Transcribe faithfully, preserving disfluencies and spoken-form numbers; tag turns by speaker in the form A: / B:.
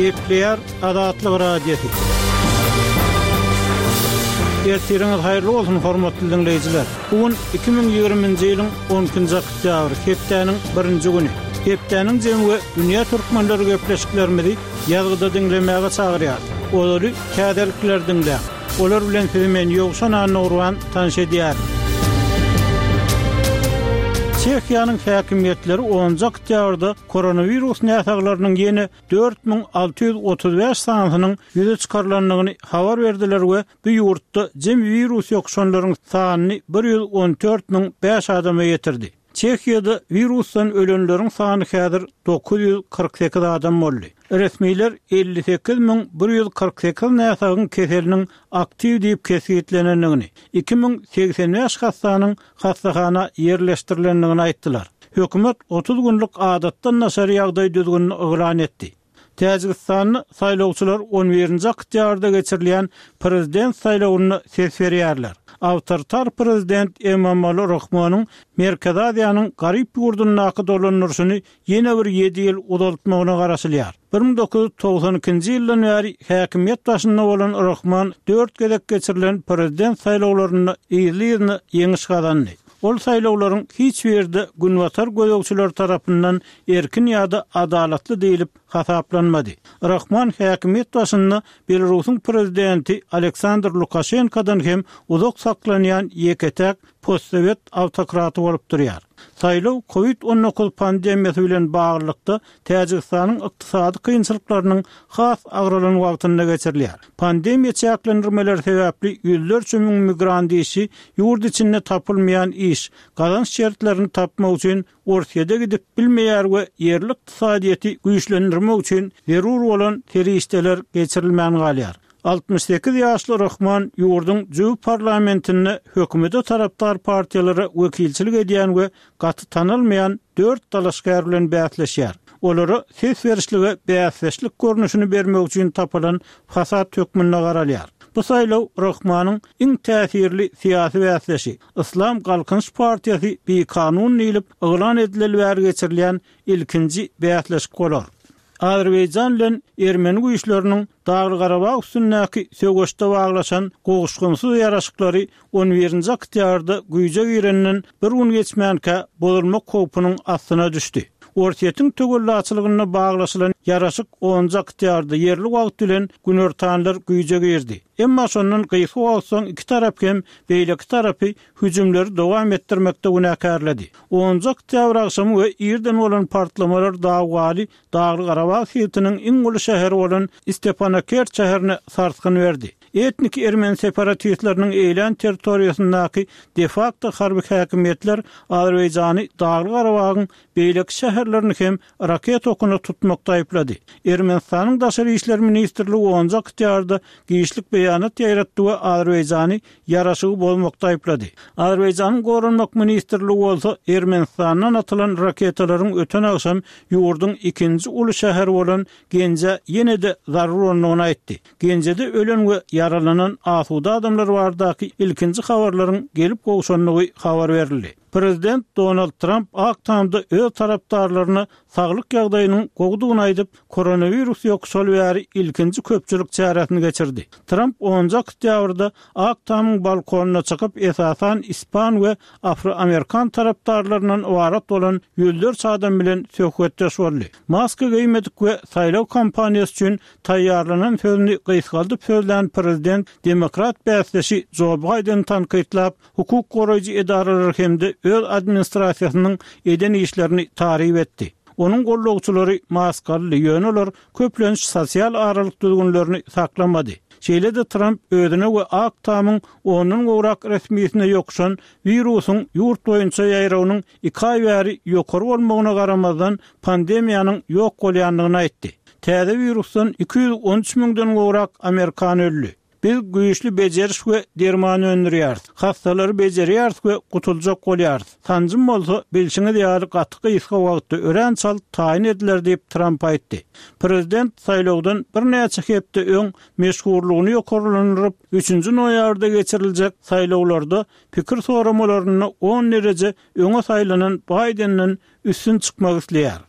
A: Gepleýär Azatlyk Radiosy. Ertiriňiz haýyrly bolsun, hormatly diňleýjiler. Bu gün iki müň ýigriminji ýylyň on ikinji oktýabry, hepdäniň birinji güni. Hepdäniň jemi we dünýä türkmenleri gepleşiklerimizi ýazgyda diňlemäge çagyrýar. Olary täzelikler diňläň. Olar bilen sizi men Ýowşan Annagurban tanyş edýärin. Çehiýanyň häkimiýetleri onunjy oktýabrda koronawirus näsaglarynyň ýene dört müň alty ýüz otuz bäş sanysynyň ýüze çykarylandygyny habar berdiler we bu ýurtda jemi wirus ýokuşanlaryň sanyny bir ýüz on dört müň bäş adama ýetirdi. Çehiýada wirusdan ölenleriň sany häzir dokuz ýüz kyrk sekiz adam boldy. Resmiler elli sekiz müň bir ýüz kyrk sekiz näsagyň keseliniň aktiw diýip kesgitlenendigini, iki müň segsen bäş hassanyň hassahana ýerleşdirilendigini aýtdylar. Hökümet otuz günlük adatdan daşary ýagdaý düzgünini yglan etdi. Täjigistanda saýlawçylar on birinji oktýabrda geçirilýän prezident saýlawyna ses berýärler. Awtoritar prezident Emomali Rahmonyň Merkezi Aziýanyň garyp ýurdundaky dolandyryşyny ýene bir ýedi ýyl uzaltmagyna garaşylýar. Bir müň dokuz ýüz togsan ikinji ýyldan bäri häkimiýet başynda bolan Rahmon dört gezek geçirilen prezident saýlawlarynda yzly-yzyna ýeňiş gazandy. Ol saýlawlaryň hiç birde günbatar gözegçileri tarapyndan erkin ýa-da adalatly diýlip hasaplanmady. Rahmon häkimiýet başynda Belarusyň prezidenti Aleksandr Lukaşenkodan hem uzak saklanýan ýeke-täk postsowet awtokraty bolup durýar. Saýlaw kovid on dokuz pandemiýasy bilen baglylykda Täjigistanyň ykdysady kynçylyklarynyň has agralan wagtynda geçirilýär. Pandemiýa çäklendirmeleri sebäpli ýüzlerçe müň migrant işi ýurt içinde tapylmaýan iş, gazanç şertlerini tapmak üçin Orsýete gidip bilmeýär we ýerli ykdysadyýeti güýçlendirmek üçin zerur bolan serişdeler geçirilmän galýar. Altmyş sekiz ýaşly Rahman ýurduň jüw parlamentinde hökümete tarapdar partiýalara wekilçilik edýän we gaty tanalmaýan dört dalaşgär bilen bäsleşýär. Olara ses berişlige bäsdeşlik görnüşini bermek üçin tapylan fasad hökmünde garalýar. Bu saýlaw Rahmanyň iň täsirli syýasy bäsdeşi Islam Galkynyş partiýasy bikanun diýlip yglan edileli bäri geçirilýän ilkinji bäsleşik bolar. Azerbaýjan bilen Ermeni güýçleriniň Dagly Garabag üstündäki söweşde baglaşan gowuşgynsyz ýaraşyklary on birinji oktýabrda güýje girenden bir gün geçmänkä bozulmak howpunyň astyna düşdi. Orsýetiň töwellaçylygynda baglaşylan ýaraşyk onunjy oktýabrda ýerli wagt bilen günortanlar güýje girdi. Emma şondan gysga wagt soň iki tarap hem beýleki tarapy hüjümleri dowam etdirmekde günäkärledi. Onunjy oktýabr agşamy we irden bolan partlamalar dawgaly Dagly Garabag sebitiniň iň uly şäheri bolan Stepanakert şäherine sarsgyn berdi. Etnik ermeni separatistleriniň eýlän territoriýasyndaky de facto harby häkimiýetler Azerbaýjany Dagly Garabagyň beýleki şäherlerini hem raket okuna tutmakda aýyplady. Ermenistanyň Daşary işler ministrligi onunjy oktýabrda giçlik beýanat ýaýratdy we Azerbaýjany ýaraşygy bozmakda aýyplady. Azerbaýjanyň Goranmak ministrligi bolsa Ermenistandan atylan raketalaryň öten agşam ýurduň ikinji uly şäheri bolan Genje ýene-de zarur bolandygyny aýtdy. Genjede ölen we ýaralanan asuda adamlar baradaky ilkinji habarlaryň gelip gowşandygy habar berildi. Prezident Donald Trump Ak Tamda öz tarapdarlaryna saglyk ýagdaýynyň gowudygyny aýdyp, koronawirus ýokuşaly bäri ilkinji köpçülik çäresini geçirdi. Trump onunjy oktýabrda Ak Tamyň balkonyna çykyp, esasan ispan we afroamerikan tarapdarlaryndan ybarat bolan ýüzlerçe adam bilen söhbetdeş boldy. Maska geýmedik we saýlaw kampaniýasy üçin taýýarlanan sözüni gysgaldyp sözlän prezident demokrat bäsdeşi Jo Baýdeni tankytlap, hukuk goraýjy edaralar hem-de öz administrasiýasynyň eden işlerini taryp etdi. Onuň gollagçylary maskaly, ýöne olar köplenç sosial aralyk düzgünlerini saklamady. Şeýle-de Trump özüne we Ak Tamyň ondan gowrak resmisine ýokuşan wirusyň ýurt boýunça ýaýrawynyň iki aý bäri ýokary bolmagyna garamazdan pandemiýanyň ýok bolýandygyny aýtdy. Täze wirusdan iki ýüz on üç müňden gowrak amerikan öldi. Biz güýçli bejeriş we derman öndürýäris. Hassalary bejerýäris we gutuljak bolýarys. Sanjym bolsa bilşiňiz ýaly gaty gysga wagtda örän çalt taýyn ediler diýip Trump aýtdy. Prezident saýlawdan birnäçe hepde öň meşhurlygyny ýokarlandyryp, üçünji noýabrda geçiriljek saýlawlarda pikir soramalarynda on dereje öňe saýlanan Baýdenden üstün çykmak isleýär.